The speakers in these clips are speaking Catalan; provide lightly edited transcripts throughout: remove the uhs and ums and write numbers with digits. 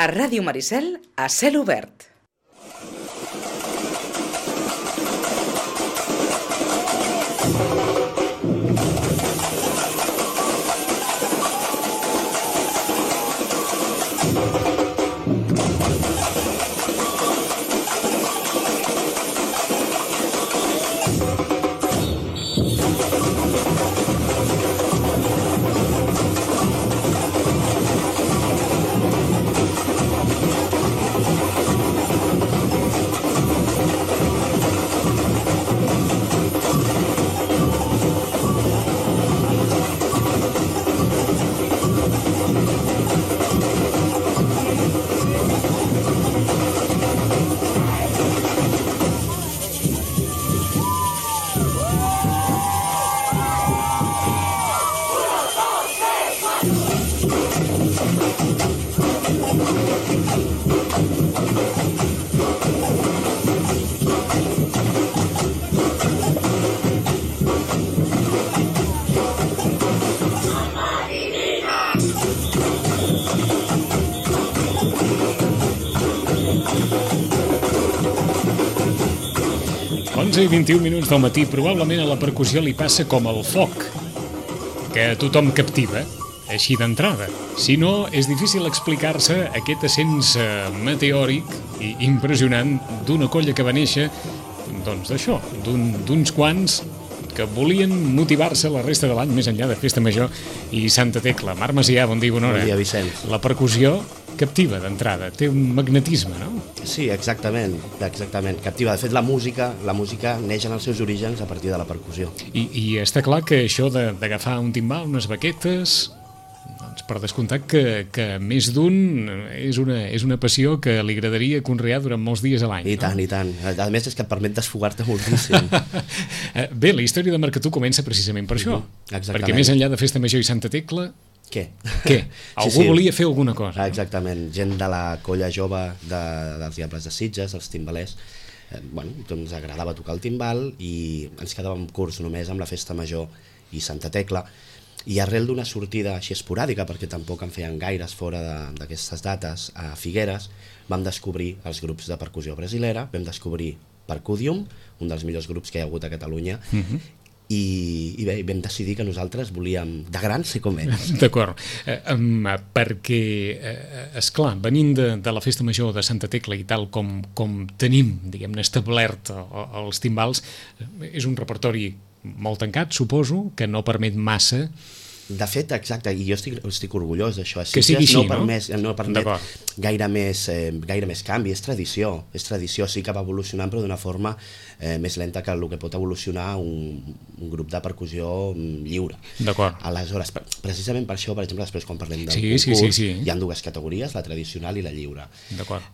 A Ràdio Maricel, a cel obert. I 21 minuts del matí, probablement a la percussió li passa com el foc, que a tothom captiva, així d'entrada. Si no, és difícil explicar-se aquest ascens meteòric i impressionant d'una colla que va néixer, doncs d'això, d'uns quants que volien motivar-se la resta de l'any més enllà de Festa Major i Santa Tecla. Marc Macià, bon dia, bona hora. Bon dia, Vicenç. La percussió captiva d'entrada, té un magnetisme, no? Sí, exactament, captiva. De fet, la música neix en els seus orígens a partir de la percussió. I està clar que això d'agafar un timbal, unes baquetes, doncs per descomptat que més d'un és una passió que li agradaria conrear durant molts dies a l'any. I tant, no? I tant. A més, és que et permet desfogar-te moltíssim. Bé, la història de Marcatú comença precisament per això. Exactament. Perquè més enllà de Festa Major i Santa Tecla, Què? Algú volia fer alguna cosa. Exactament. Gent de la colla jove dels Diables de Sitges, els timbalers, doncs agradava tocar el timbal i ens quedàvem curts només amb la Festa Major i Santa Tecla. I arrel d'una sortida així esporàdica, perquè tampoc en feien gaires fora d'aquestes dates, a Figueres, vam descobrir els grups de percussió brasilera, vam descobrir Percudium, un dels millors grups que hi ha hagut a Catalunya, i bé, vam decidir que nosaltres volíem de gran ser com ells. D'acord, perquè esclar, venint de la Festa Major de Santa Tecla i tal com tenim, diguem-ne, establert els timbals, és un repertori molt tancat, suposo, que no permet massa. De fet, exacte, i jo estic orgullós d'això. Que sigui així, no permet gaire més canvi, és tradició, sí que va evolucionant, però d'una forma més lenta que el que pot evolucionar un grup de percussió lliure. D'acord. Aleshores, precisament per això, per exemple, després quan parlem del concurs, hi ha dues categories, la tradicional i la lliure. D'acord.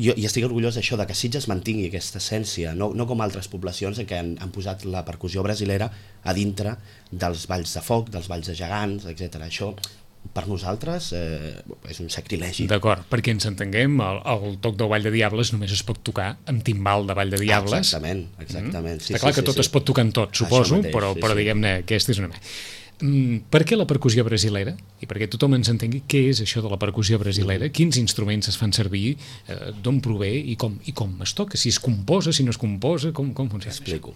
Jo estic orgullós d'això, de que Sitges mantingui aquesta essència, no com altres poblacions en què han posat la percussió brasilera a dintre dels balls de foc, dels balls de gegants, etc. Això, per nosaltres, és un sacrilegi. D'acord, perquè ens entenguem, el toc del Ball de Diables només es pot tocar amb timbal de Ball de Diables. Exactament. Està clar que tot es pot tocar en tot, suposo, però diguem-ne, aquesta és una... Per què la percussió brasilera? I perquè tothom ens entengui què és això de la percussió brasilera, quins instruments es fan servir, d'on prové i com es toca, si es composa, si no es composa, com funciona? Explico.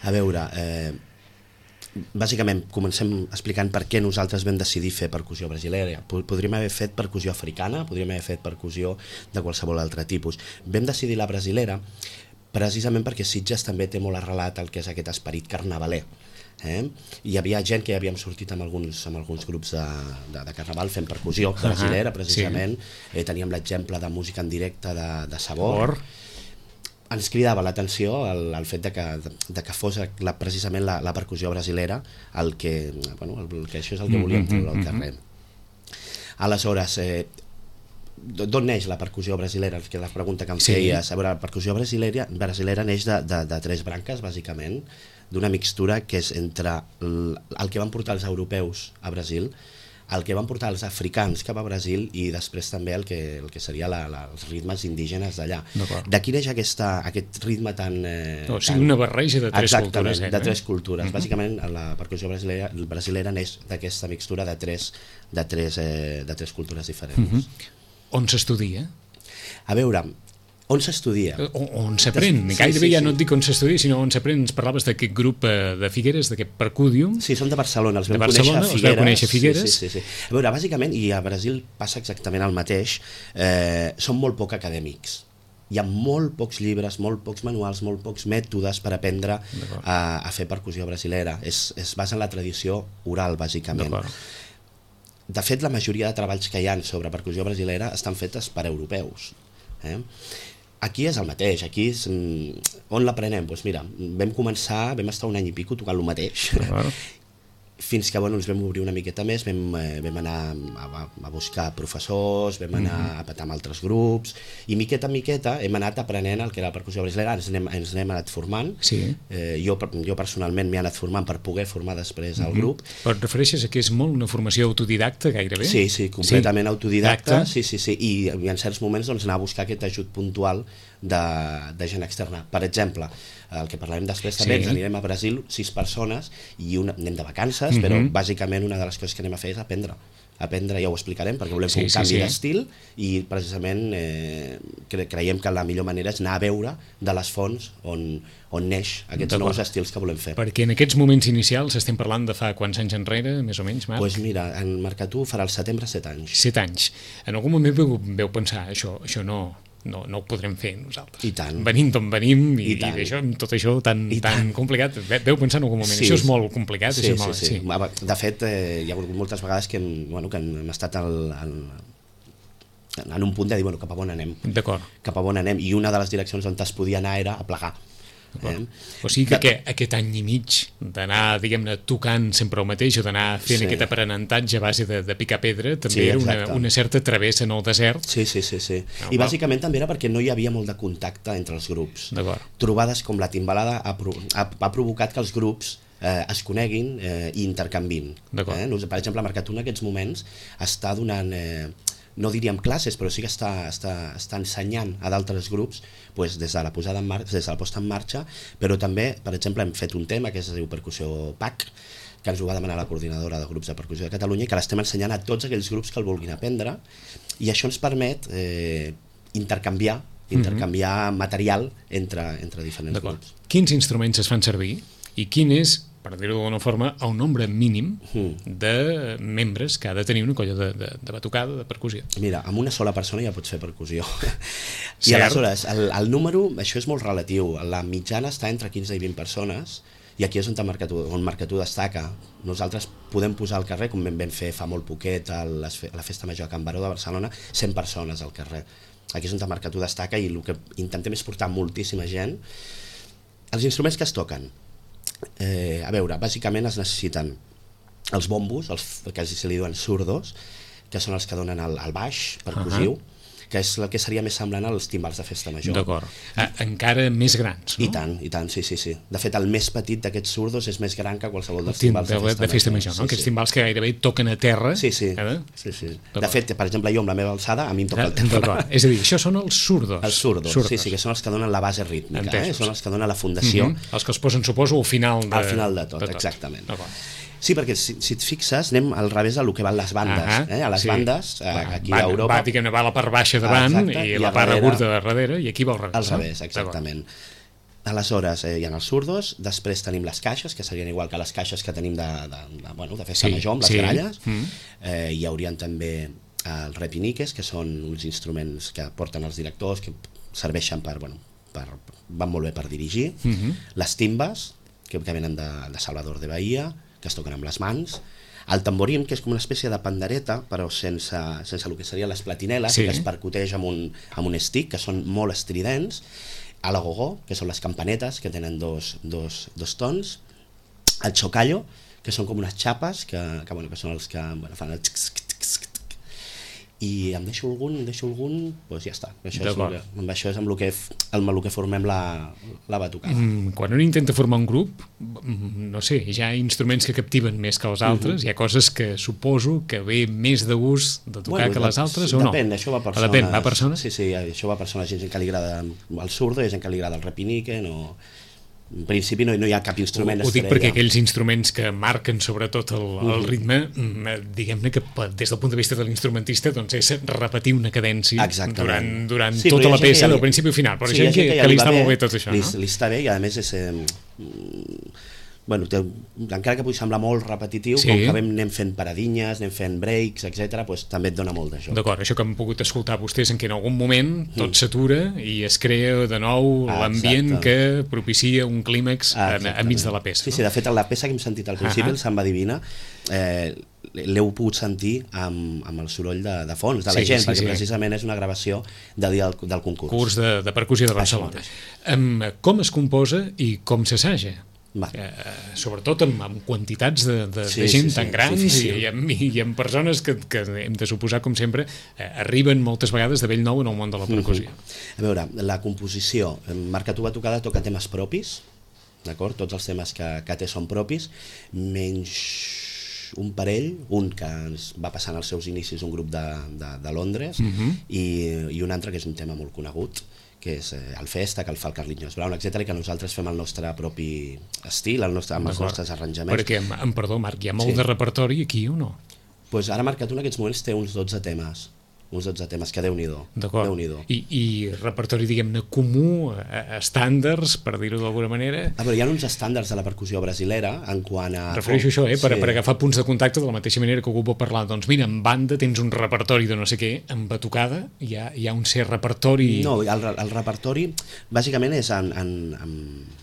A veure, bàsicament comencem explicant per què nosaltres vam decidir fer percussió brasilera. Podríem haver fet percussió africana, podríem haver fet percussió de qualsevol altre tipus. Vam decidir la brasilera precisament perquè Sitges també té molt arrelat el que és aquest esperit carnavaler. Hi havia gent que ja havíem sortit amb alguns grups de carnaval fent percussió brasilera, precisament. Teníem l'exemple de música en directe de Sabor. Ens cridava l'atenció el fet de que fos precisament la percussió brasilera el que això és el que volíem treure al carrer. Aleshores, d'on neix la percussió brasilera? Que la pregunta que em feies. A veure, la percussió brasilera neix de tres branques, bàsicament, d'una mixtura que és entre el que van portar els europeus a Brasil, el que van portar els africans cap a Brasil i després també el que seria els ritmes indígenes d'allà. D'aquí neix aquest ritme tan... O sigui, una barreja de tres cultures. Exactament, de tres cultures. Bàsicament, la percussió brasilera neix d'aquesta mixtura de tres cultures diferents. On s'estudia? A veure, on s'estudia? On s'aprèn, gairebé ja no et dic on s'estudia, sinó on s'aprèn. Ens parlaves d'aquest grup de Figueres, d'aquest Percudium. Sí, són de Barcelona, els vam conèixer a Figueres. Sí. A veure, bàsicament, i a Brasil passa exactament el mateix, són molt poc acadèmics. Hi ha molt pocs llibres, molt pocs manuals, molt pocs mètodes per aprendre a fer percussió brasilera. Es basa en la tradició oral, bàsicament. De fet, la majoria de treballs que hi ha sobre percussió brasilera estan fetes per europeus. Aquí és el mateix, aquí és, on l'aprenem? Doncs mira, vam estar un any i pico tocant el mateix, fins que ens vam obrir una miqueta més, vam anar a buscar professors, vam anar a petar amb altres grups, i miqueta en miqueta hem anat aprenent el que era la percussió brasilera, ens n'hem anat formant, jo personalment m'he anat formant per poder formar després el grup. Però et refereixes a que és molt una formació autodidacta gairebé? Sí, completament autodidacta, i en certs moments anar a buscar aquest ajut puntual de gent externa. Per exemple, el que parlarem després també, ens anirem a Brasil 6 persones i anem de vacances, però bàsicament una de les coses que anem a fer és aprendre, ja ho explicarem, perquè volem fer un canvi d'estil i precisament creiem que la millor manera és anar a veure de les fonts on neix aquests nous estils que volem fer. Perquè en aquests moments inicials estem parlant de fa quants anys enrere, més o menys, Marc? Doncs mira, en Marcatú farà al setembre 7 anys. 7 anys. En algun moment veu pensar, això no ho podrem fer nosaltres. I tant. Venim d'on venim i tot això tan complicat. Veu pensar en algun moment, això és molt complicat. Sí. De fet, hi ha hagut moltes vegades que hem estat en un punt de dir, cap a on anem? D'acord. Cap a on anem? I una de les direccions on es podia anar era a plegar. O sigui que aquest any i mig d'anar, diguem-ne, tocant sempre el mateix o d'anar fent aquest aprenentatge a base de picar pedra també era una certa travessa en el desert. Sí. I bàsicament també era perquè no hi havia molt de contacte entre els grups. Trobades com la Timbalada ha provocat que els grups es coneguin i intercanvin. Per exemple, Marcatú en aquests moments està donant... no diríem classes, però sí que està ensenyant a d'altres grups des de la posada en marxa, des de la posta en marxa, però també, per exemple, hem fet un tema que es diu Percussió PAC, que ens ho va demanar la coordinadora de grups de percussió de Catalunya i que l'estem ensenyant a tots aquells grups que el vulguin aprendre, i això ens permet intercanviar material entre diferents grups. Quins instruments es fan servir i quin és, per dir-ho d'alguna forma, el nombre mínim de membres que ha de tenir una colla de batucada, de percussió? Mira, amb una sola persona ja pots fer percussió. I aleshores, el número, això és molt relatiu. La mitjana està entre 15 i 20 persones, i aquí és on Marcatú destaca. Nosaltres podem posar al carrer, com vam fer fa molt poquet a la Festa Major a Can Baró de Barcelona, 100 persones al carrer. Aquí és on Marcatú destaca i el que intentem és portar moltíssima gent. Els instruments que es toquen, a veure, bàsicament es necessiten els bombos, que se li diuen surdos, que són els que donen el baix percussiu, que és el que seria més semblant als timbals de festa major. D'acord. Encara més grans, no? I tant, sí. De fet, el més petit d'aquests surdos és més gran que qualsevol dels timbals de festa major, no? Aquests timbals que gairebé toquen a terra. Sí. De fet, per exemple, jo amb la meva alçada, a mi em toca el terra. És a dir, això són els surdos. Els surdos, sí, que són els que donen la base rítmica, són els que donen la fundació. Els que els posen, suposo, al final de... Al final de tot, exactament. Sí, perquè si et fixes, anem al revés del que van les bandes. A les bandes, aquí a Europa... Va la part baixa davant i la part curta de darrere, i aquí va al revés. Al revés, exactament. Aleshores, hi ha els surdos, després tenim les caixes, que serien igual que les caixes que tenim de festa major, amb les gralles. Hi haurien també els repiniques, que són uns instruments que porten els directors, que serveixen van molt bé per dirigir. Les timbes, que venen de Salvador de Bahia, que es toquen amb les mans. El tamborín, que és com una espècie de pandereta, però sense el que serien les platineles, que es percuteix amb un stick, que són molt estridents. El agogó, que són les campanetes, que tenen dos tons. El chocallo, que són com unes xapes, que són els que fan el xic. i em deixo algun, doncs ja està. Amb això és amb el que formem la batucada. Quan un intenta formar un grup, no sé, hi ha instruments que captiven més que els altres, hi ha coses que suposo que ve més de gust de tocar que les altres, o no? Depèn, això va a persones. Depèn, va a persones? Sí, això va a persones. Hi ha gent que li agrada el surdo, hi ha gent que li agrada el repinique, no... En principi no hi ha cap instrument estrella. Ho dic perquè aquells instruments que marquen sobretot el ritme, diguem-ne que des del punt de vista de l'instrumentista doncs és repetir una cadència durant tota la peça, del principi al final. Però hi ha gent que li està molt bé tot això, no? Li està bé i a més és... Bueno, encara que pugui semblar molt repetitiu, com que anem fent paradinyes, anem fent breaks, etc., doncs també et dona molt de joc. D'acord, això que hem pogut escoltar vostès en què en algun moment tot s'atura i es crea de nou l'ambient que propicia un clímax enmig de la peça. Sí, de fet, la peça que hem sentit al principi, el Samba Divina, l'heu pogut sentir amb el soroll de fons de la gent, perquè precisament és una gravació del dia del concurs. Curs de percussió de Barcelona. Com es composa i com s'assaja? Sobretot amb quantitats de gent tan grans i amb persones que hem de suposar, com sempre, arriben moltes vegades de bell nou en el món de la percussió. A veure, la composició, Marca tu Batucada toca temes propis, d'acord? Tots els temes que té són propis, menys un parell, un que va passant als seus inicis un grup de Londres i un altre que és un tema molt conegut, que és el Festa, que el fa el Carlinhos Brown, etc., i que nosaltres fem el nostre propi estil, amb els nostres arranjaments. Perquè, perdó, Marc, hi ha molt de repertori aquí o no? Doncs ara Marc Catú en aquests moments té uns 12 temes, que Déu-n'hi-do. D'acord. I repertori, diguem-ne, comú, estàndards, per dir-ho d'alguna manera? A veure, hi ha uns estàndards de la percussió brasilera en quant a... Refereixo això, per agafar punts de contacte de la mateixa manera que algú pot parlar. Doncs mira, en banda tens un repertori de no sé què, en batucada hi ha un cert repertori... No, el repertori bàsicament és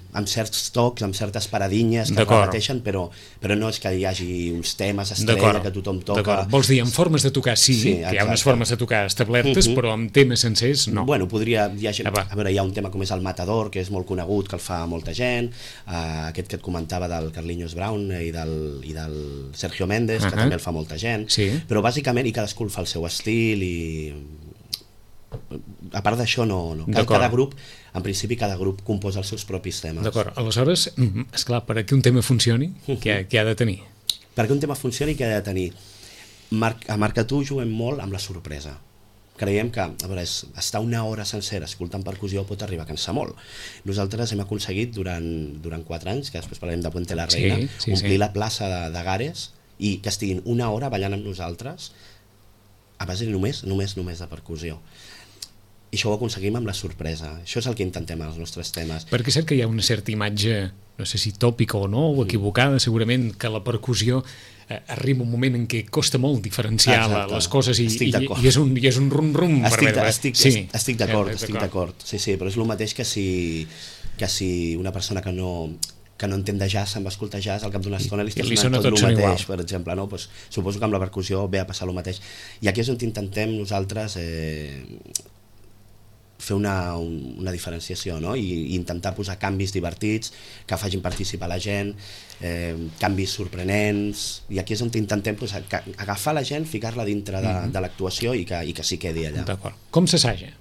amb certs tocs, amb certes paradinyes que es repeteixen, però no és que hi hagi uns temes estrella que tothom toca. Vols dir, en formes de tocar sí, que hi ha unes formes de tocar establertes, però amb temes sencers no. Bueno, a veure, hi ha un tema com és el Matador, que és molt conegut, que el fa molta gent, aquest que et comentava del Carlinhos Brown i del Sergio Méndez, que també el fa molta gent, però bàsicament i cadascú el fa el seu estil i... A part d'això, no. Cada grup, en principi, cada grup composa els seus propis temes. D'acord, aleshores, esclar, per que un tema funcioni, què ha de tenir? Perquè un tema funcioni, què ha de tenir? A Marca tu juguem molt amb la sorpresa. Creiem que, a veure, estar una hora sencera escoltant percussió pot arribar a cansar molt. Nosaltres hem aconseguit durant 4 anys, que després parlarem de Puente la Reina, omplir la plaça de Gares i que estiguin una hora ballant amb nosaltres a base només de percussió. I això ho aconseguim amb la sorpresa. Això és el que intentem als nostres temes. Perquè és cert que hi ha una certa imatge, no sé si tòpica o no, o equivocada, segurament, que la percussió arriba un moment en què costa molt diferenciar les coses i és un rum-rum. Estic d'acord. Sí, però és el mateix que si una persona que no entén de jazz, se'n va escoltar jazz, al cap d'una estona li sona tot el mateix, per exemple, no? Pues, suposo que amb la percussió ve a passar el mateix. I aquí és on intentem nosaltres fer una diferenciació, no? I intentar posar canvis divertits que facin participar la gent, canvis sorprenents, i aquí és on intentem agafar la gent, ficar-la dintre de l'actuació i que s'hi quedi allà. D'acord. Com s'assaja?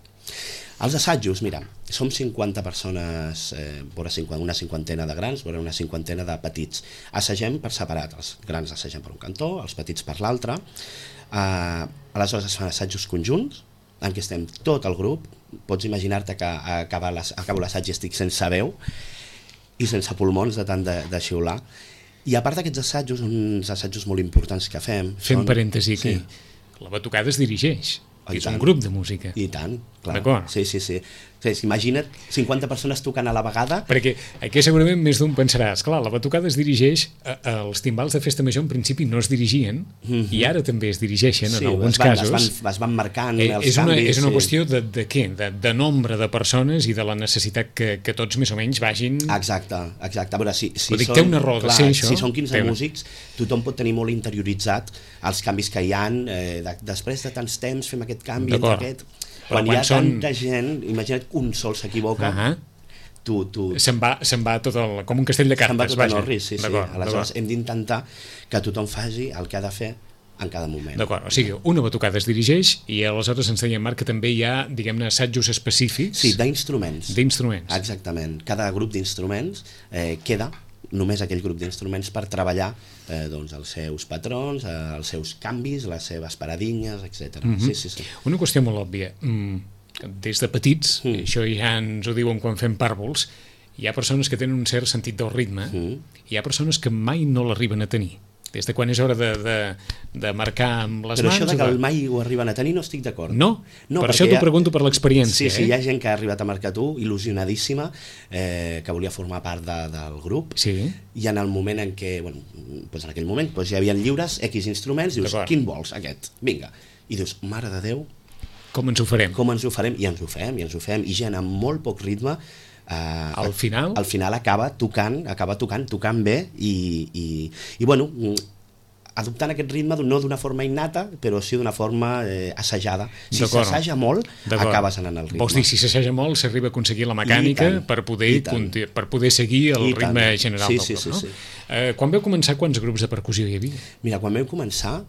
Els assajos, mira, som 50 persones, una cinquantena de grans, una cinquantena de petits. Assagem per separat, els grans assagem per un cantó, els petits per l'altre. Aleshores es fan assajos conjunts, en què estem tot el grup. Pots imaginar-te que acabo l'assaig i estic sense veu i sense pulmons de tant de xiular. I a part d'aquests assajos, uns assajos molt importants que fem... Fem parèntesi aquí. La batucada es dirigeix. És un grup de música. I tant, clar. D'acord. Sí. Imagina't 50 50 tocant a la vegada. Perquè aquí segurament més d'un pensarà, esclar, la batucada es dirigeix, els timbals de festa major en principi no es dirigien, i ara també es dirigeixen en alguns casos. Es van marcant els canvis. És una qüestió de què? De nombre de persones i de la necessitat que tots més o menys vagin... Exacte. A veure, si té una raó de ser això. Si són 15 músics, tothom pot tenir molt interioritzat els canvis que hi ha, després de tants temps fem aquest canvi entre aquest... Quan hi ha tanta gent, imagina't que un sol s'equivoca, se'n va tot com un castell de cartes. Se'n va tot en orris, sí. Aleshores hem d'intentar que tothom faci el que ha de fer en cada moment. D'acord, o sigui, una batucada es dirigeix i aleshores ens deia Marc que també hi ha, diguem-ne, assajos específics. Sí, d'instruments. D'instruments. Exactament. Cada grup d'instruments queda només aquell grup d'instruments per treballar doncs, els seus patrons, els seus canvis, les seves paradinyes, etc. Sí. Una qüestió molt òbvia. Des de petits, això ja ens ho diuen quan fem pàrvols, hi ha persones que tenen un cert sentit del ritme, hi ha persones que mai no l'arriben a tenir. Des de quan és hora de marcar amb les Però mans... això de que el mai ho arriben a tenir no estic d'acord. No? Per això t'ho pregunto per l'experiència. Sí, hi ha gent que ha arribat a marcar tu, il·lusionadíssima, que volia formar part del grup, i en el moment en què, bueno, doncs en aquell moment hi havia lliures X instruments, dius, quin vols, aquest? Vinga. I dius, mare de Déu, com ens ho farem? I ens ho fem, i gent amb molt poc ritme, al final acaba tocant bé i bueno, adoptant aquest ritme no d'una forma innata, però sí d'una forma assajada. Si s'assaja molt, acabes anant al ritme. Vols dir, si s'assaja molt, s'arriba a aconseguir la mecànica per poder seguir el ritme general del grup, no? Quan vau començar, quants grups de percussió hi havia? Mira, quan vam començar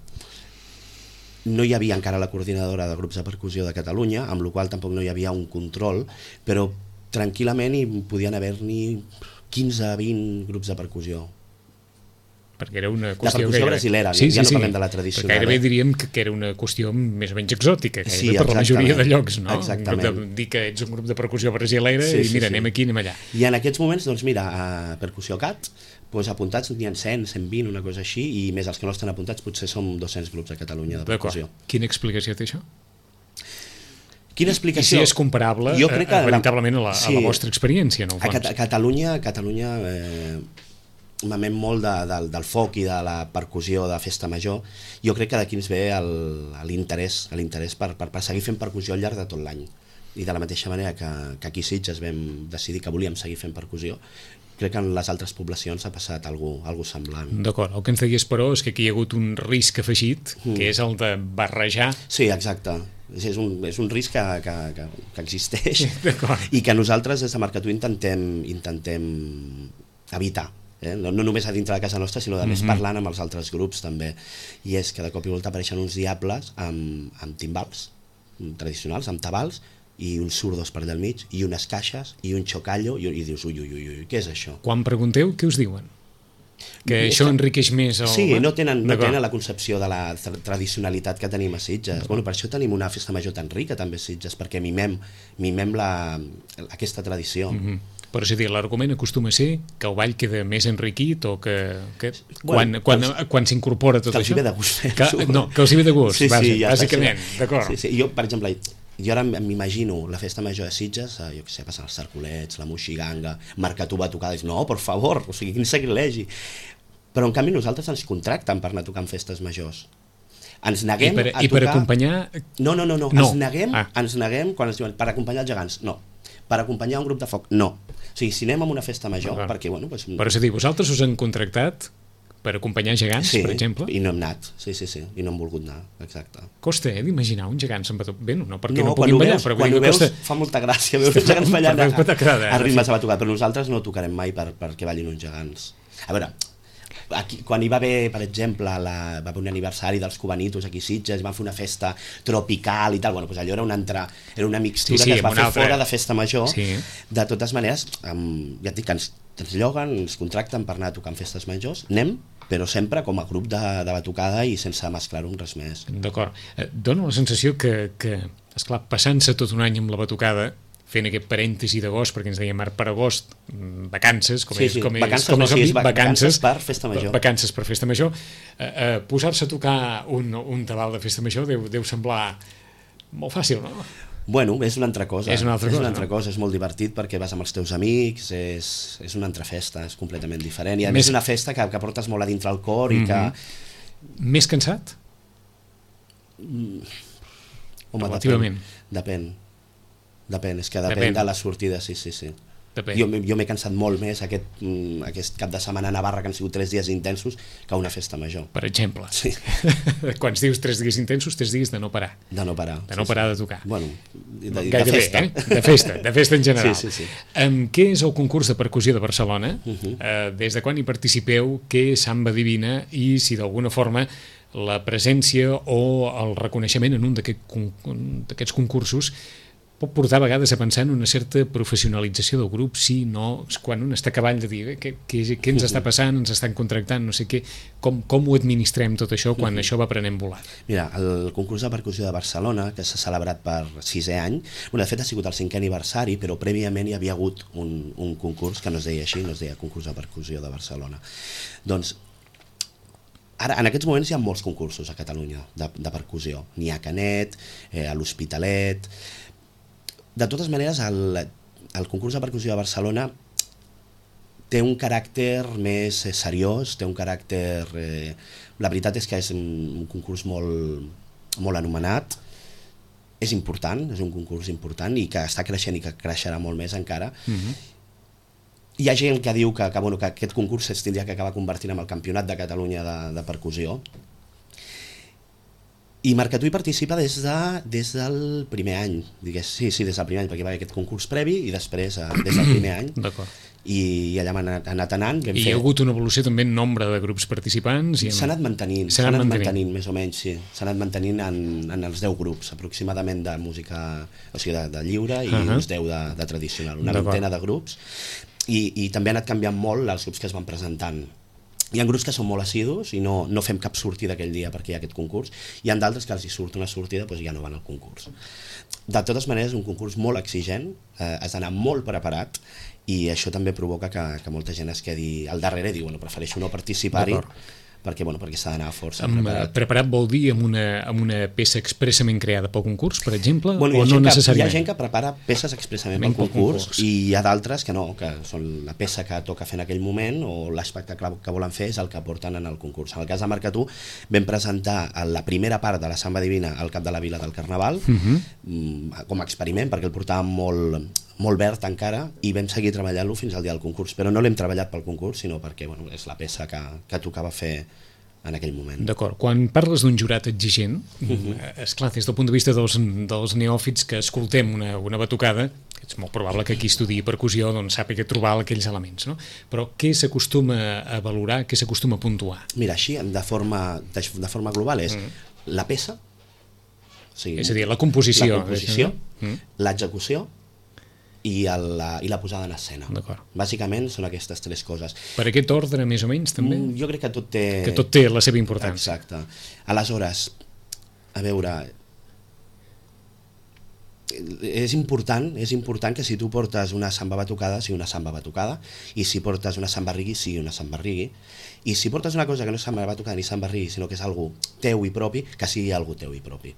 no hi havia encara la coordinadora de grups de percussió de Catalunya, amb la qual tampoc no hi havia un control, però tranquil·lament hi podien haver-n'hi 15-20 grups de percussió. Perquè era una qüestió... De percussió brasilera, ja no parlem de la tradicional. Perquè gairebé diríem que era una qüestió més o menys exòtica, per la majoria de llocs, no? Exactament. Dir que ets un grup de percussió brasilera i mira, anem aquí, anem allà. I en aquests moments, doncs mira, a Percussió CAT, apuntats n'hi ha 100, 120, una cosa així, i més els que no estan apuntats potser som 200 grups a Catalunya de percussió. Quina explicació té això? Quina explicació? I si és comparable veritablement a la vostra experiència, en el fons. A Catalunya mamem molt del foc i de la percussió de festa major. Jo crec que d'aquí ens ve l'interès per seguir fent percussió al llarg de tot l'any. I de la mateixa manera que aquí a Sitges vam decidir que volíem seguir fent percussió, crec que en les altres poblacions ha passat alguna semblant. D'acord, el que ens deies, però, és que aquí hi ha hagut un risc afegit, que és el de barrejar... Sí, exacte. És un risc que existeix i que nosaltres des de Marcatú intentem evitar. No només a dintre de casa nostra, sinó a més parlant amb els altres grups també. I és que de cop i volta apareixen uns diables amb timbals tradicionals, amb tabals, i uns surdos per allà al mig, i unes caixes, i un xocallo, i dius, ui, què és això? Quan pregunteu, què us diuen? Que això enriqueix més el... Sí, no tenen la concepció de la tradicionalitat que tenim a Sitges. Bueno, per això tenim una festa major tan rica també a Sitges, perquè mimem aquesta tradició. Però és a dir, l'argument acostuma a ser que el ball queda més enriquit o que quan s'incorpora tot això... Que els hi ve de gust fer-ho. No, que els hi ve de gust, bàsicament, d'acord. Jo, per exemple, ara m'imagino la festa major de Sitges, jo què sé, passen els Sarcolets, la Moixiganga, Marcatú va tocar, no, per favor, o sigui, quin sacrilegi. Però en canvi nosaltres ens contracten per anar a tocar en festes majors. Ens neguem a tocar... I per acompanyar... No. Ens neguem quan ens diuen per acompanyar els gegants, no. Per acompanyar un grup de foc, no. O sigui, si anem a una festa major, perquè, bueno... Però és a dir, vosaltres us han contractat per acompanyar gegants, per exemple? Sí, i no hem anat, sí, i no hem volgut anar, exacte. Costa, d'imaginar un gegant se'n batucat. Bé, no perquè no puguin ballar, però... Quan ho veus fa molta gràcia veure uns gegants ballant a ritmes de batucat, però nosaltres no tocarem mai perquè ballin uns gegants. A veure, aquí, quan hi va haver, per exemple, va haver un aniversari dels Cubanitos aquí a Sitges, van fer una festa tropical i tal, bueno, doncs allò era una mixtura que es va fer fora de festa major. De totes maneres, ja et dic que ens lloguen, ens contracten per anar a tocar en festes majors, anem, però sempre com a grup de batucada i sense mesclar-ho amb res més. D'acord. Dóna la sensació que esclar, passant-se tot un any amb la batucada, fent aquest parèntesi d'agost, perquè ens deia Marc per agost, vacances, vacances per festa major. Vacances per festa major. Posar-se a tocar un tabal de festa major deu semblar molt fàcil, no? Bueno, és una altra cosa. És una altra cosa, és molt divertit perquè vas amb els teus amics, és una altra festa, és completament diferent. I a més és una festa que portes molt a dintre el cor i que... Més cansat? Home, relativament. Depèn, és que depèn de la sortida, sí. Jo m'he cansat molt més aquest cap de setmana a Navarra, que han sigut 3 dies intensos, que una festa major. Per exemple. Sí. Quan dius 3 dies intensos, 3 dies de no parar. De no parar. De no parar de tocar. Bueno, de festa. De festa en general. Sí. Què és el concurs de percussió de Barcelona? Des de quan hi participeu? Què és Samba Divina? I si d'alguna forma la presència o el reconeixement en un d'aquests concursos pot portar a vegades a pensar en una certa professionalització del grup, sí, no, quan un està a cavall de dir què ens està passant, ens estan contractant, no sé què, com ho administrem tot això quan això va prenent volat? Mira, el concurs de percussió de Barcelona, que s'ha celebrat per 6è any, de fet ha sigut el 5è aniversari, però prèviament hi havia hagut un concurs que no es deia així, no es deia concurs de percussió de Barcelona. Doncs ara, en aquests moments hi ha molts concursos a Catalunya de percussió. N'hi ha a Canet, a l'Hospitalet. De totes maneres, el concurs de percussió de Barcelona té un caràcter més seriós, té un caràcter... La veritat és que és un concurs molt anomenat, és important, és un concurs important i que està creixent i que creixerà molt més encara. Hi ha gent que diu que aquest concurs es tindria que acabar convertint en el campionat de Catalunya de percussió. I Marcatú hi participa des del primer any, sí, des del primer any, perquè hi va haver aquest concurs previ i després des del primer any. D'acord. I allà hem anat anant. I hi ha hagut una evolució també en nombre de grups participants? S'ha anat mantenint, més o menys, sí. S'ha anat mantenint en els 10 grups, aproximadament de música, o sigui, de lliure i uns 10 de tradicional, una vintena de grups. I també ha anat canviant molt els grups que es van presentant. Hi ha grups que són molt assidus i no fem cap sortida aquell dia perquè hi ha aquest concurs. Hi ha d'altres que els hi surt una sortida i ja no van al concurs. De totes maneres, un concurs molt exigent, has d'anar molt preparat i això també provoca que molta gent es quedi al darrere i diu, prefereixo no participar-hi perquè s'ha d'anar força preparat. Preparat vol dir amb una peça expressament creada pel concurs, per exemple, o no necessàriament? Hi ha gent que prepara peces expressament pel concurs i hi ha d'altres que no, que són la peça que toca fer en aquell moment o l'espectacle que volen fer és el que porten en el concurs. En el cas de Marcatú vam presentar la primera part de la Samba Divina al cap de la Vila del Carnaval com a experiment, perquè el portàvem molt verd encara i vam seguir treballant-lo fins al dia del concurs, però no l'hem treballat pel concurs, sinó perquè és la peça que tocava fer en aquell moment. D'acord. Quan parles d'un jurat exigent, esclar, des del punt de vista dels neòfits que escoltem una batucada, és molt probable que qui estudiï percussió sàpiga trobar aquells elements, no? Però què s'acostuma a valorar, què s'acostuma a puntuar? Mira, així, de forma global és la peça, és a dir, la composició, l'execució i la posada en escena. Bàsicament són aquestes 3 coses. Per aquest ordre, més o menys, també? Jo crec que tot té la seva importància. Exacte. Aleshores, a veure, és important que si tu portes una samba batucada sigui una samba batucada i si portes una samba reggae sigui una samba reggae i si portes una cosa que no és samba batucada ni samba reggae sinó que és algo teu i propi, que sigui algo teu i propi.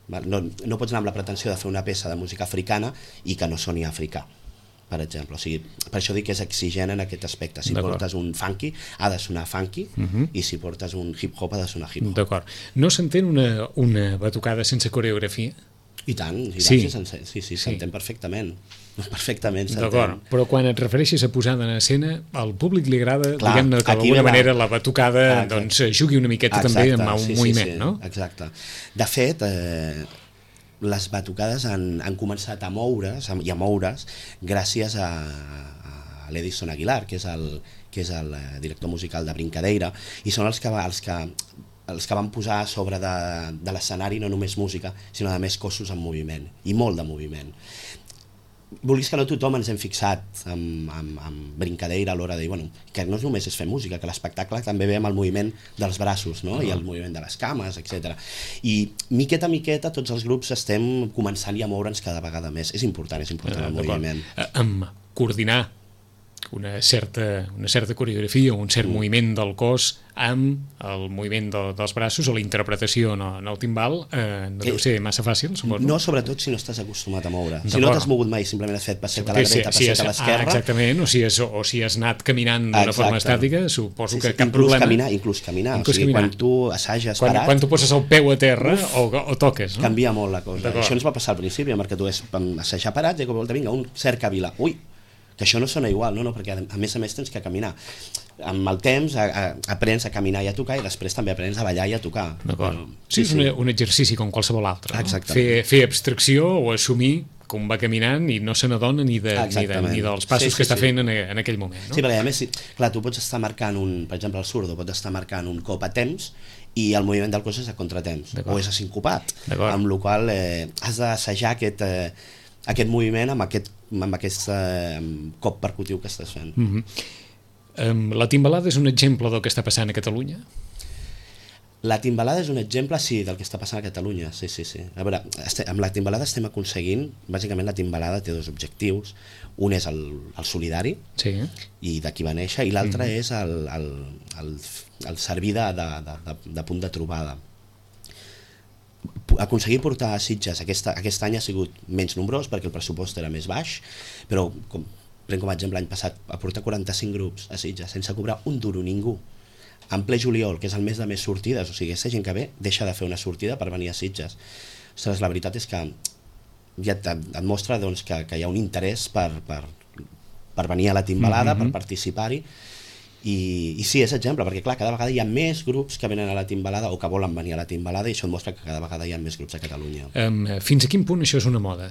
No pots anar amb la pretensió de fer una peça de música africana i que no soni africà, per exemple. O sigui, per això dic que és exigent en aquest aspecte. Si portes un funky, ha de sonar funky, i si portes un hip-hop, ha de sonar hip-hop. D'acord. No s'entén una batucada sense coreografia? I tant, sí, s'entén perfectament. Perfectament s'entén. D'acord, però quan et refereixes a posada en escena, al públic li agrada, diguem-ne, que d'alguna manera la batucada jugui una miqueta també amb un moviment, no? Exacte. De fet, les batucades han començat a moure's i a moure's gràcies a l'Edison Aguilar, que és el director musical de Brincadeira, i són els que van posar a sobre de l'escenari no només música, sinó a més cossos en moviment, i molt de moviment. Vulguis que no, tothom ens hem fixat amb Brincadeira a l'hora de dir que no només és fer música, que l'espectacle també ve amb el moviment dels braços, no? I el moviment de les cames, etc. I miqueta a miqueta tots els grups estem començant a moure'ns cada vegada més. És important el moviment. Amb coordinar una certa coreografia o un cert moviment del cos amb el moviment dels braços o la interpretació en el timbal no deu ser massa fàcil, suposo. No, sobretot si no estàs acostumat a moure. Si no t'has mogut mai, simplement has fet passet a la dreta, passet a l'esquerra. Exactament, o si has anat caminant d'una forma estàtica, suposo que cap problema. Inclús caminar. O sigui, quan tu assages parat... Quan tu poses el peu a terra o toques, no? Canvia molt la cosa. Això ens va passar al principi, perquè tu és assajar parat i de cop i volta vinga, un cerca vila. Ui, que això no sona igual, no? Perquè a més tens que caminar. Amb el temps aprens a caminar i a tocar i després també aprens a ballar i a tocar. D'acord. Sí, és un exercici com qualsevol altre. Exactament. Fer abstracció o assumir com va caminant i no se n'adona ni dels passos que està fent en aquell moment. Sí, perquè a més, clar, tu pots estar marcant per exemple el surdo pot estar marcant un cop a temps i el moviment del cos és a contratemps o és a sincopat, amb la qual has d'assajar aquest moviment amb aquest cop percutiu que estàs fent. La timbalada és un exemple del que està passant a Catalunya? La timbalada és un exemple, sí, del que està passant a Catalunya, sí. A veure, amb la timbalada estem aconseguint, bàsicament la timbalada té dos objectius, un és el solidari, i d'aquí va néixer, i l'altre és el servir de punt de trobada. Aconseguir portar a Sitges aquest any ha sigut menys nombrós perquè el pressupost era més baix, però prenc com a exemple l'any passat a portar 45 grups a Sitges sense cobrar un duro ningú, en ple juliol, que és el mes de més sortides, o sigui, aquesta gent que ve deixa de fer una sortida per venir a Sitges. Ostres, la veritat és que ja et mostra doncs, que hi ha un interès per venir a la timbalada, per participar-hi, i sí, és exemple, perquè clar, cada vegada hi ha més grups que venen a la timbalada o que volen venir a la timbalada, i això et mostra que cada vegada hi ha més grups a Catalunya. Fins a quin punt això és una moda?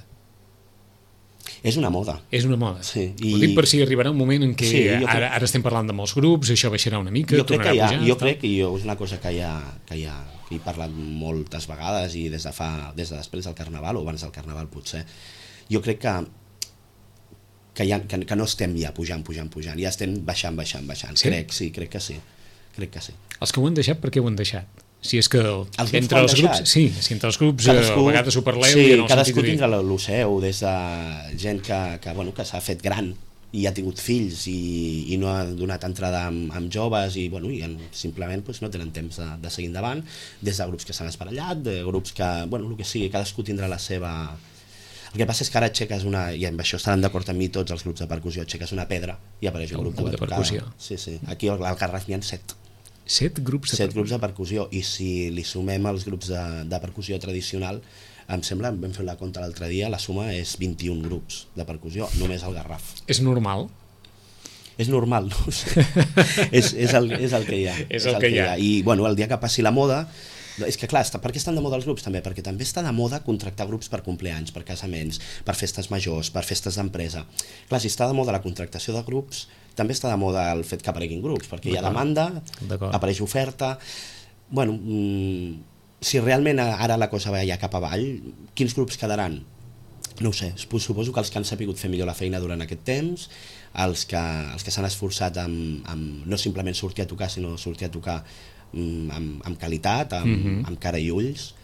És una moda. És una moda. Sí. Ho dic per si arribarà un moment en què ara estem parlant de molts grups, això baixarà una mica, tornarà a pujar... Jo crec que és una cosa que he parlat moltes vegades i des de després del Carnaval o abans del Carnaval potser. Jo crec que no estem ja pujant, ja estem baixant. Sí? Crec que sí. Els que ho han deixat, per què ho han deixat? Si és que entre els grups a vegades ho parleu... Sí, cadascú tindrà el seu, des de gent que s'ha fet gran i ha tingut fills i no ha donat entrada amb joves i simplement no tenen temps de seguir endavant, des de grups que s'han espatllat, de grups que, el que sigui, cadascú tindrà la seva... El que passa és que ara aixeques i amb això estaran d'acord amb mi tots els grups de percussió, aixeques una pedra i apareix un grup de percussió. Sí. Aquí al Garraf n'hi ha 7. 7 grups de percussió, i si li sumem els grups de percussió tradicional, em sembla, vam fer la compta l'altre dia, la suma és 21 grups de percussió, només al Garraf. És normal? És normal, no ho sé. és el que hi ha. És el que hi ha. I el dia que passi la moda... És que clar, per què estan de moda els grups també? Perquè també està de moda contractar grups per compleanys, per casaments, per festes majors, per festes d'empresa. Clar, si està de moda la contractació de grups, també està de moda el fet que apareguin grups, perquè hi ha demanda, apareix oferta... Si realment ara la cosa va ja cap avall, quins grups quedaran? No ho sé, suposo que els que han sabut fer millor la feina durant aquest temps, els que s'han esforçat amb no simplement sortir a tocar, sinó sortir a tocar amb qualitat, amb cara i ulls.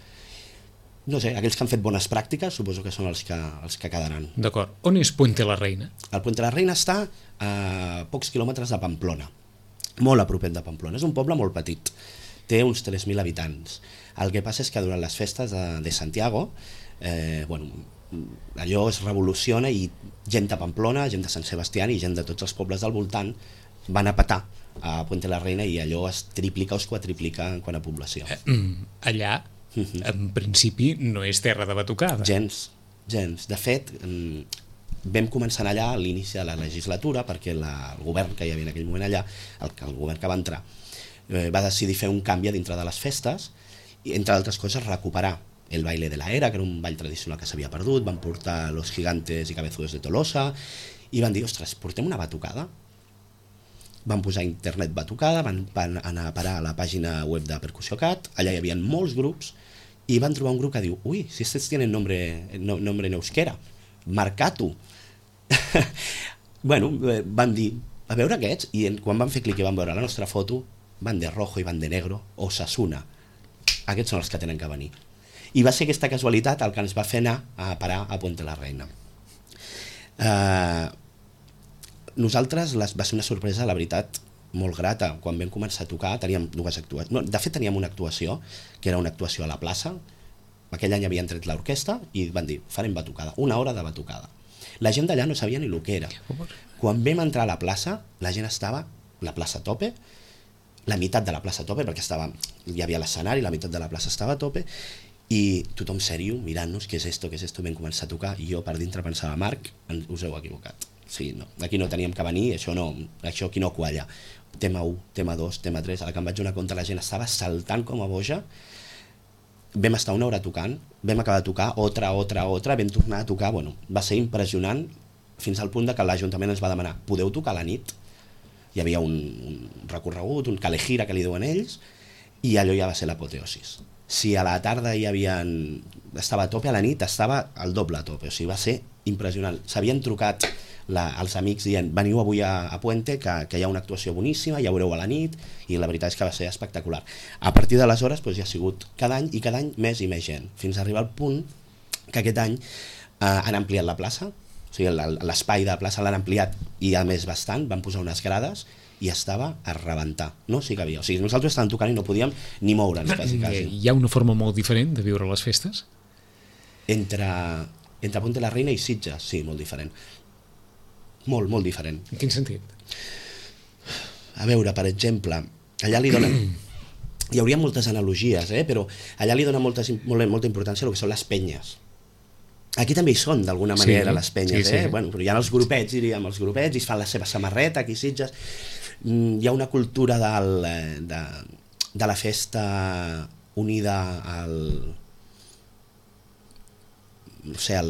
No sé, aquells que han fet bones pràctiques suposo que són els que quedaran. D'acord. On és Puente la Reina? El Puente la Reina està a pocs quilòmetres de Pamplona, molt a propet de Pamplona. És un poble molt petit, té uns 3.000 habitants. El que passa és que durant les festes de Santiago, allò es revoluciona i gent de Pamplona, gent de Sant Sebastià i gent de tots els pobles del voltant van a petar a Puente la Reina i allò es triplica o es quadriplica en quant a població. Allà, en principi, no és terra de batucada. Gens. De fet, vam començar allà a l'inici de la legislatura perquè el govern que hi havia en aquell moment allà, el govern que va entrar, va decidir fer un canvi dintre de les festes i, entre altres coses, recuperar el baile de la era, que era un ball tradicional que s'havia perdut, van portar Los Gigantes i Cabezudos de Tolosa i van dir, ostres, portem una batucada? Van posar a internet batucada, van anar a parar a la pàgina web de Percussió Cat, allà hi havia molts grups, i van trobar un grup que diu, ui, si estos tienen nombre en euskera, Marcatu. Van dir, a veure aquests, i quan van fer clic i van veure la nostra foto, van de rojo i van de negro, Osasuna. Aquests són els que tenen que venir. I va ser aquesta casualitat el que ens va fer anar a parar a Puente la Reina. Nosaltres va ser una sorpresa, la veritat, molt grata. Quan vam començar a tocar teníem dues actuacions. De fet teníem una actuació, que era una actuació a la plaça. Aquell any havien tret l'orquestra i van dir, farem batucada, 1 hora de batucada. La gent d'allà no sabia ni el que era. Quan vam entrar a la plaça, la gent estava, la plaça a tope, la meitat de la plaça a tope, perquè hi havia l'escenari, la meitat de la plaça estava a tope, i tothom sèrio, mirant-nos, què és esto, vam començar a tocar, i jo per dintre pensava, Marc, us heu equivocat. Sí, no, aquí no teníem que venir, això aquí no qualla. Tema 1, tema 2, tema 3, a la que em vaig donar compte la gent estava saltant com a boja. Vam estar 1 hora tocant, vam acabar de tocar, otra, vam tornar a tocar, va ser impressionant, fins al punt que l'Ajuntament ens va demanar, podeu tocar a la nit? Hi havia un recorregut, un calejira que li diuen ells, i allò ja va ser l'apoteosis. Si a la tarda estava a tope, a la nit estava al doble a tope, o sigui, va ser impressionant. S'havien trucat els amics dient veniu avui a Puente, que hi ha una actuació boníssima, ja veureu a la nit, i la veritat és que va ser espectacular. A partir d'aleshores doncs, ja ha sigut cada any més i més gent, fins a arribar al punt que aquest any han ampliat la plaça, o sigui, l'espai de la plaça l'han ampliat i a més bastant, van posar unes grades i estava a rebentar, no s'hi cabia. O sigui, nosaltres estàvem tocant i no podíem ni moure'ns, quasi. Hi ha una forma molt diferent de viure les festes? Entre Puente la Reina i Sitges, sí, molt diferent. Molt, molt diferent. En quin sentit? A veure, per exemple, allà li donen... Hi hauria moltes analogies, però allà li dona molta importància al que són les penyes. Aquí també hi són, d'alguna manera, les penyes, sí. Bueno, però hi ha els grupets, diríem, els grupets, i es fan la seva samarreta, aquí a Sitges. Hi ha una cultura de la festa unida al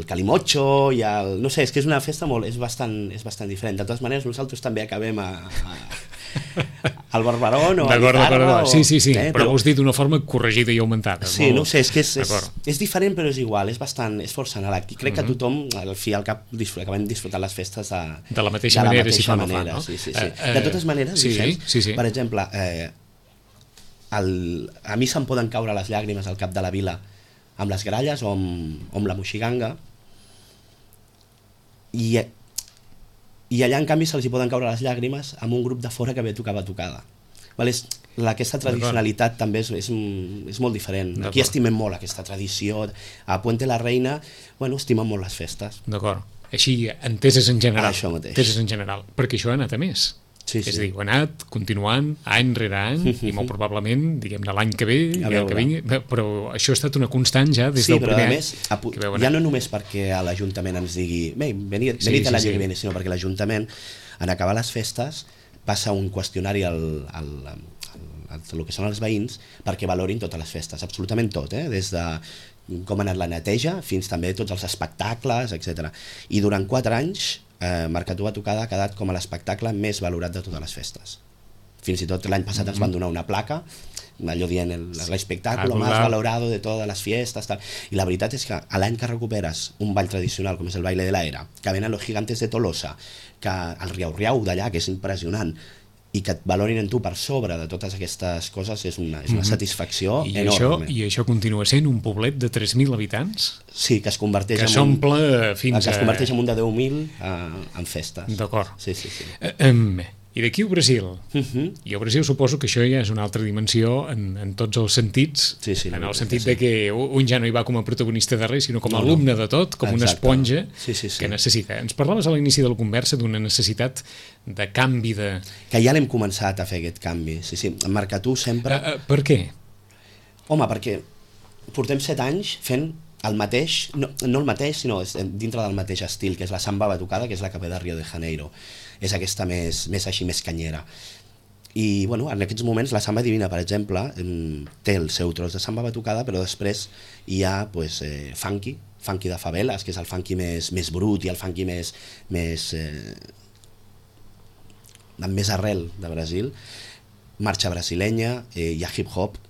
calimocho i al... No sé, és que és una festa és bastant diferent. De totes maneres, nosaltres també acabem al Barberón o a l'Itarra. Sí, però ho has dit d'una forma corregida i augmentada. Sí, no sé, és que és diferent però és igual, és força anàleg. I crec que tothom, al fi i al cap, acabem disfrutant les festes de la mateixa manera, si fa no fa, no? Sí. De totes maneres, per exemple, a mi se'm poden caure les llàgrimes al cap de la vila amb les gralles o amb la moixiganga, i allà en canvi se'ls hi poden caure les llàgrimes amb un grup de fora que ve a tocar batucada. Aquesta tradicionalitat també és molt diferent. Aquí estimem molt aquesta tradició. A Puente la Reina estimem molt les festes. D'acord. Així, enteses en general. Això mateix. Enteses en general. Perquè això ha anat a més. Sí. És a dir, ho ha anat continuant any rere any i molt probablement, diguem-ne, l'any que ve però això ha estat una constant ja des del primer any. Sí, però a més, ja no només perquè l'Ajuntament ens digui venid l'any que ve, sinó perquè l'Ajuntament, en acabar les festes, passa un qüestionari al que són els veïns perquè valorin totes les festes, absolutament tot, des de com ha anat la neteja fins també tots els espectacles, etc. I durant 4 anys Marcatú Batucada ha quedat com a l'espectacle més valorat de totes les festes. Fins i tot l'any passat ens van donar una placa, allò dient l'espectacle més valorado de totes les fiestes, tal. I la veritat és que l'any que recuperes un ball tradicional com és el baile de la era, que venen los gigantes de Tolosa, que el riau d'allà, que és impressionant, i que et valorin en tu per sobre de totes aquestes coses, és una satisfacció enorme. I això continua sent un poblet de 3.000 habitants? Sí, que es converteix que s'omple fins que es converteix en un de 10.000 en festes. D'acord. Sí. I d'aquí al Brasil? I al Brasil suposo que això ja és una altra dimensió en tots els sentits, en el sentit de que un ja no hi va com a protagonista de res, sinó com a alumne de tot, com una esponja que necessita. Ens parlaves a l'inici de la conversa d'una necessitat de canvi de... Que ja l'hem començat a fer, aquest canvi. Sí, en Marcatú sempre... Per què? Home, perquè portem 7 anys fent el mateix, no el mateix, sinó dintre del mateix estil, que és la samba batucada, que és la que ve de Rio de Janeiro. És aquesta més canyera. I en aquests moments la samba divina, per exemple, té el seu tros de samba batucada, però després hi ha funky de faveles, que és el funky més brut i el funky amb més arrel de Brasil, marxa brasilenya, hi ha hip-hop,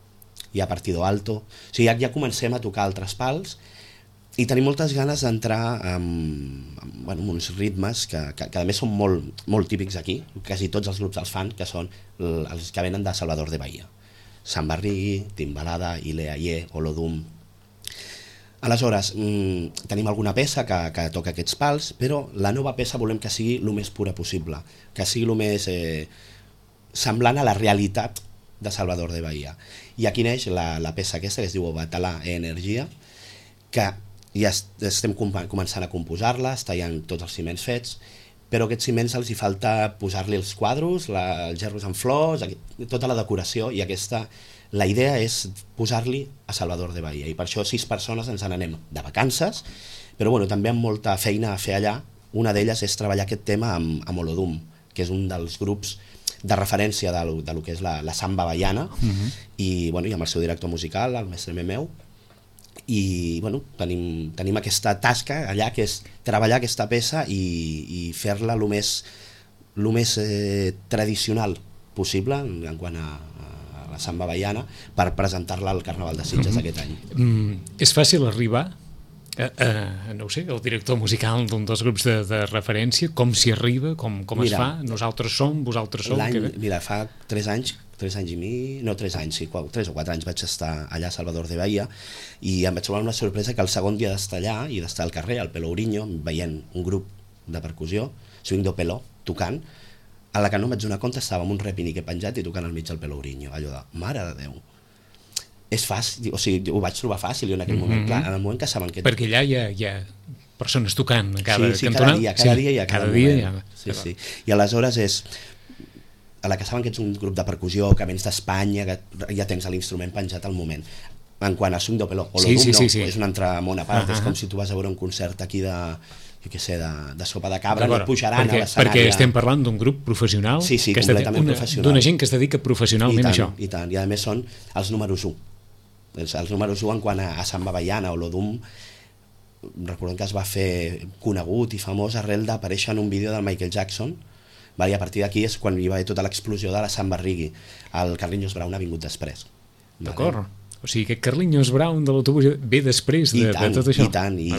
hi ha partido alto, o sigui, ja comencem a tocar altres pals i tenim moltes ganes d'entrar amb uns ritmes que a més són molt típics aquí, quasi tots els grups els fan, que són els que venen de Salvador de Bahia. Sambarri, Timbalada, Ileaye, Olodum. Aleshores, tenim alguna peça que toca aquests pals, però la nova peça volem que sigui el més pura possible, que sigui el més semblant a la realitat de Salvador de Bahia. I aquí neix la peça aquesta que es diu Batalà e Energia, que ja estem començant a composar-la, està ja tots els ciments fets, però aquests ciments els hi falta posar-li els quadros, els gerros en flors, tota la decoració, i la idea és posar-li a Salvador de Bahia, i per això 6 persones ens n'anem de vacances, però també amb molta feina a fer allà. Una d'elles és treballar aquest tema amb Olodum, que és un dels grups de referència de lo que és la samba baiana, i amb el seu director musical, el mestre Memeu, i tenim aquesta tasca allà, que és treballar aquesta peça i fer-la el més tradicional possible en quant a la Samba Baiana, per presentar-la al Carnaval de Sitges aquest any. És fàcil arribar no ho sé, el director musical d'un dels grups de referència, com s'hi arriba, com es fa, nosaltres som, vosaltres sou... Mira, fa 3 anys i mig, no 3 anys, sí, 3 o 4 anys vaig estar allà a Salvador de Bahia i em vaig trobar una sorpresa que el segon dia d'estar allà i d'estar al carrer, al Pelourinho, veient un grup de percussió, Swing do Peló, tocant, a la que no em vaig donar compte estava amb un repinique penjat i tocant al mig del Pelourinho, allò de, mare de Déu. És fàcil, o sigui, ho vaig trobar fàcil en aquell moment, clar, en el moment que saben que... Perquè allà hi ha persones tocant cada sí, cantonada. Cada dia i a cada moment. Sí. I aleshores és, a la que saben que ets un grup de percussió, que vens d'Espanya, que ja tens l'instrument penjat al moment. En quant a Swing do Peló, o l'Odum no, és un altre món a part, és com si tu vas a veure un concert aquí de... jo què sé, de sopa de cabra, no et pujaran a l'escenari. Perquè estem parlant d'un grup professional, completament professional, d'una gent que es dedica professionalment a això. I tant, i a més són els números 1. Els números 1 en quant a Samba Baiana o l'Odum, recordem que es va fer conegut i famós arrel d'aparèixer en un vídeo del Michael Jackson, i a partir d'aquí és quan hi va haver tota l'explosió de la samba reggae. El Carlinhos Brown ha vingut després. D'acord. O sigui, que Carlinhos Brown de l'autobús ve després de tot això. I tant, i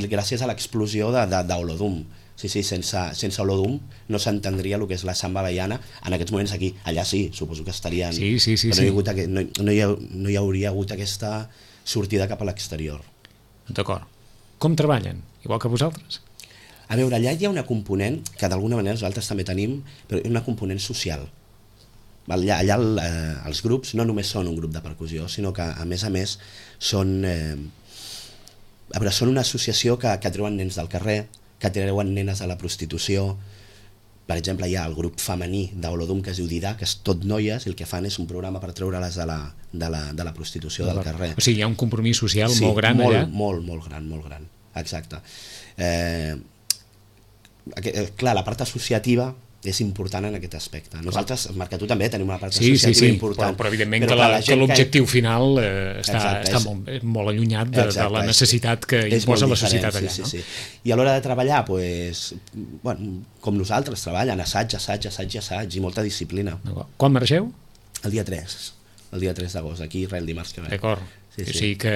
gràcies a l'explosió d'Olodum. Sí, sense Olodum no s'entendria el que és la samba baiana en aquests moments aquí. Allà sí, suposo que estarien... Sí. No hi hauria hagut aquesta sortida cap a l'exterior. D'acord. Com treballen? Igual que vosaltres? A veure, allà hi ha una component que d'alguna manera nosaltres també tenim, però una component social. Allà els grups no només són un grup de percussió, sinó que a més són una associació que treuen nens del carrer, que treuen nenes de la prostitució. Per exemple, hi ha el grup femení d'Olodum que es diu Didà, que és tot noies, i el que fan és un programa per treure-les de la prostitució del carrer. O sigui, hi ha un compromís social molt gran allà? Sí, molt gran, exacte. Clar, la part associativa és important en aquest aspecte. Nosaltres, Marcatú, també tenim una part associativa important. Però evidentment que l'objectiu final està molt allunyat de la necessitat que imposa la societat allà. Sí. I a l'hora de treballar, com nosaltres treballen, assaig i molta disciplina. Quan marxeu? El dia 3 d'agost, aquí el dimarts que ve. D'acord. O sigui que...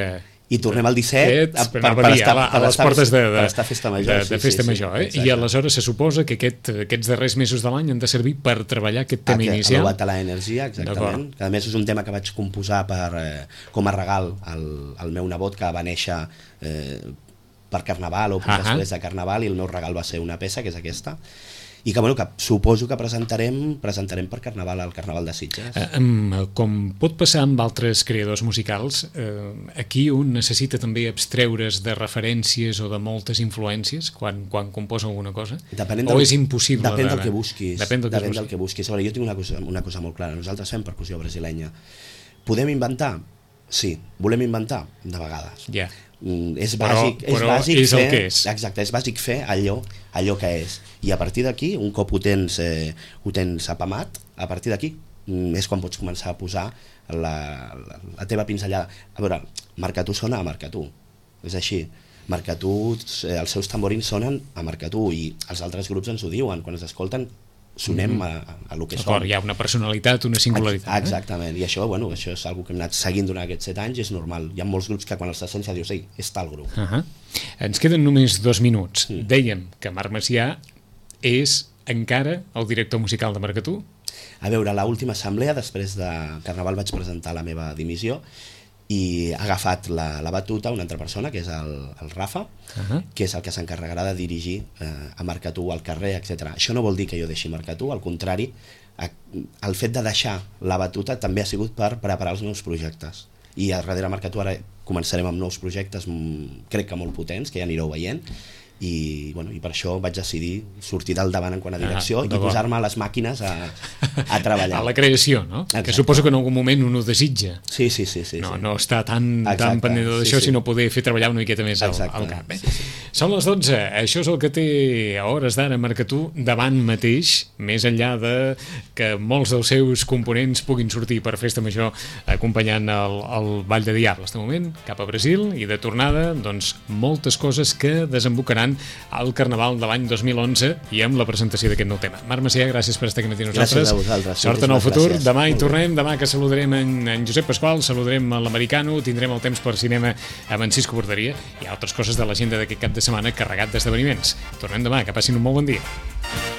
I tornem al 17 a les portes de festa major. De festa major, I aleshores se suposa que aquests darrers mesos de l'any han de servir per treballar aquest tema inicial. El Lobat a l'energia, exactament. Que a més és un tema que vaig composar com a regal al meu nebot, que va néixer per Carnaval o després de Carnaval, i el meu regal va ser una peça, que és aquesta. I que suposo que presentarem per Carnaval al Carnaval de Sitges. Com pot passar amb altres creadors musicals, aquí un necessita també abstreure's de referències o de moltes influències quan composa alguna cosa? O és impossible? Depèn del que busquis. Depèn del que busquis. A veure, jo tinc una cosa molt clara. Nosaltres fem percussió brasilenya. Podem inventar? Sí. Volem inventar? De vegades. Ja. És bàsic és el que és. Exacte, és bàsic fer allò que és. I a partir d'aquí, un cop ho tens apamat, a partir d'aquí és quan pots començar a posar la teva pinzellada. A veure, Marcatú sona a Marcatú, és així. Marcatú, els seus tamborins sonen a Marcatú, i els altres grups ens ho diuen, quan ens escolten sonem a lo que som. Hi ha una personalitat, una singularitat. Exactament, i això és una que hem anat seguint durant aquests 7 anys, i és normal. Hi ha molts grups que quan els sents ja dius, ei, és tal grup. Ens queden només 2 minuts. Dèiem que Marc Macià és encara el director musical de Marcatú? A veure, a l'última assemblea, després de Carnaval, vaig presentar la meva dimissió, i ha agafat la batuta una altra persona, que és el Rafa, que és el que s'encarregarà de dirigir a Marcatú al carrer, etc. Això no vol dir que jo deixi Marcatú, al contrari, el fet de deixar la batuta també ha sigut per preparar els meus projectes. I a darrere Marcatú ara començarem amb nous projectes, crec que molt potents, que ja anireu veient, i per això vaig decidir sortir del davant en quant a direcció i posar-me a les màquines a treballar. A la creació, no? Exacte. Que suposo que en algun moment un ho desitja. Sí. No està tan pendent d'això, sinó poder fer treballar una miqueta més al cap. Són les 12, això és el que té a hores d'ara Marcatú davant mateix, més enllà de que molts dels seus components puguin sortir per festa major acompanyant el Ball de Diables. De moment, cap a Brasil, i de tornada, doncs, moltes coses que desembocaran preparant el Carnaval de l'any 2011 i amb la presentació d'aquest nou tema. Marc Macià, gràcies per estar aquí amb nosaltres. Gràcies a vosaltres. Sort en el futur. Gràcies. Demà hi tornem, demà que saludarem en Josep Pasqual, saludarem l'Americano, tindrem el temps per cinema amb en Cisco Borderia i altres coses de l'agenda d'aquest cap de setmana carregat d'esdeveniments. Tornem demà, que passin un molt bon dia.